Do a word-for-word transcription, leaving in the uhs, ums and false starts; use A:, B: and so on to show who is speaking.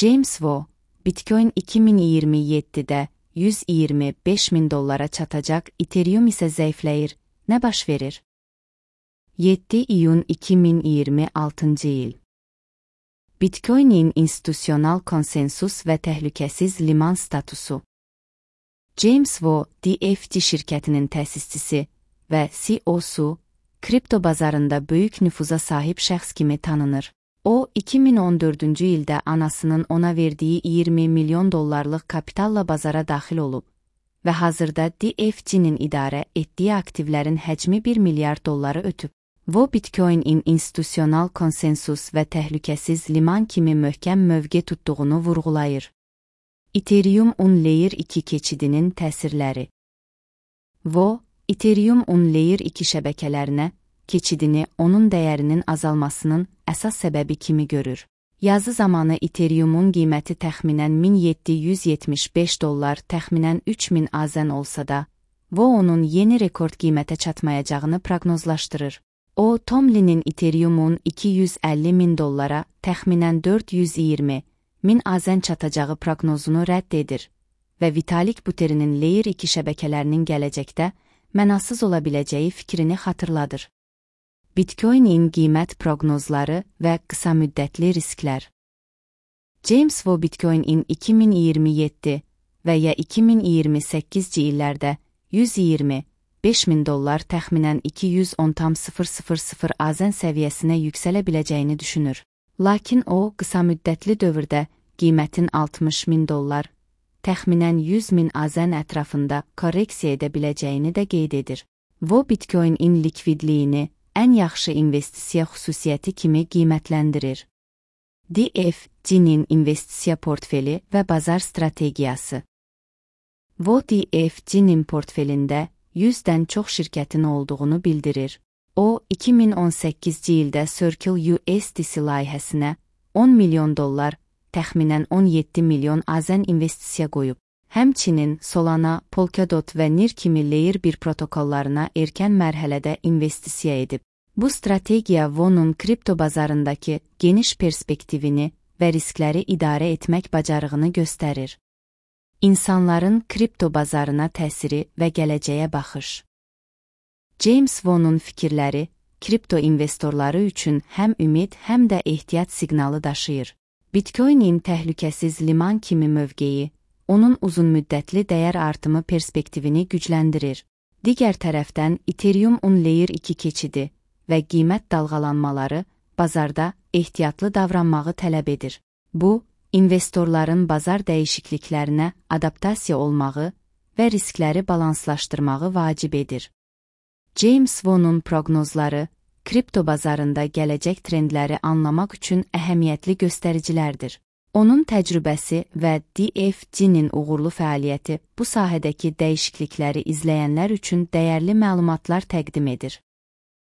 A: James Vo, Bitcoin iki min iyirmi yeddidə yüz iyirmi beş min dollara çatacaq, Ethereum isə zəifləyir. Nə baş verir? yeddi iyun iki min iyirmi altıncı il. Bitcoin'in institusyonal konsensus və təhlükəsiz liman statusu. James Vo, D F C şirkətinin təsisçisi və C E O'su, kripto bazarında böyük nüfuza sahib şəxs kimi tanınır. O, iki min on dördüncü ildə anasının ona verdiyi iyirmi milyon dollarlıq kapitalla bazara daxil olub və hazırda D F C'nin idarə etdiyi aktivlərin həcmi bir milyard dolları ötüb. Vo, Bitcoin'in institusyonal konsensus və təhlükəsiz liman kimi möhkəm mövqe tutduğunu vurğulayır. Ethereum-un Layer iki keçidinin təsirləri. Vo, Ethereum-un Layer iki şəbəkələrinə keçidini onun dəyərinin azalmasının əsas səbəbi kimi görür. Yazı zamanı Ethereum-un qiyməti təxminən min yeddi yüz yetmiş beş dollar, təxminən üç min azən olsa da, Vo onun yeni rekord qiymətə çatmayacağını proqnozlaşdırır. O, Tomlin'in Ethereum-un iki yüz əlli min dollara, təxminən dörd yüz iyirmi min azən çatacağı proqnozunu rədd edir və Vitalik Buterin'in Layer iki şəbəkələrinin gələcəkdə mənasız ola biləcəyi fikrini xatırladır. Bitcoin'in qiymət proqnozları və qısa müddətli risklər. James Vo, Bitcoin'in iki min iyirmi yeddi və ya iki min iyirmi səkkizci illərdə yüz iyirmi beş min dollar, təxminən iki yüz on tam sıfır sıfır sıfır azən səviyyəsinə yüksələ biləcəyini düşünür. Lakin o, qısa müddətli dövrdə qiymətin altmış min dollar, təxminən yüz min azən ətrafında korreksiya edə biləcəyini də qeyd edir. Vo, Bitcoin'in likvidliyini ən yaxşı investisiya xüsusiyyəti kimi qiymətləndirir. D F C'nin investisiya portfeli və bazar strategiyası. Vo, D F C'nin portfelində yüzdən çox şirkətin olduğunu bildirir. O, iki min on səkkizci ildə Circle U S D C layihəsinə on milyon dollar, təxminən on yeddi milyon azən investisiya qoyub. Həmçinin Solana, Polkadot və N I R kimi Layer bir protokollarına erkən mərhələdə investisiya edib. Bu strategiya Vo'nun kripto bazarındakı geniş perspektivini və riskləri idarə etmək bacarığını göstərir. İnsanların kripto bazarına təsiri və gələcəyə baxış. James Vo'nun fikirləri kripto investorları üçün həm ümid, həm də ehtiyat siqnalı daşıyır. Bitcoin'in təhlükəsiz liman kimi mövqeyi, onun uzunmüddətli dəyər artımı perspektivini gücləndirir. Digər tərəfdən, Ethereum-un Layer iki keçidi və qiymət dalğalanmaları bazarda ehtiyatlı davranmağı tələb edir. Bu, investorların bazar dəyişikliklərinə adaptasiya olmağı və riskləri balanslaşdırmağı vacib edir. James Vo'nun proqnozları kripto bazarında gələcək trendləri anlamaq üçün əhəmiyyətli göstəricilərdir. Onun təcrübəsi və D F C'nin uğurlu fəaliyyəti bu sahədəki dəyişiklikləri izləyənlər üçün dəyərli məlumatlar təqdim edir.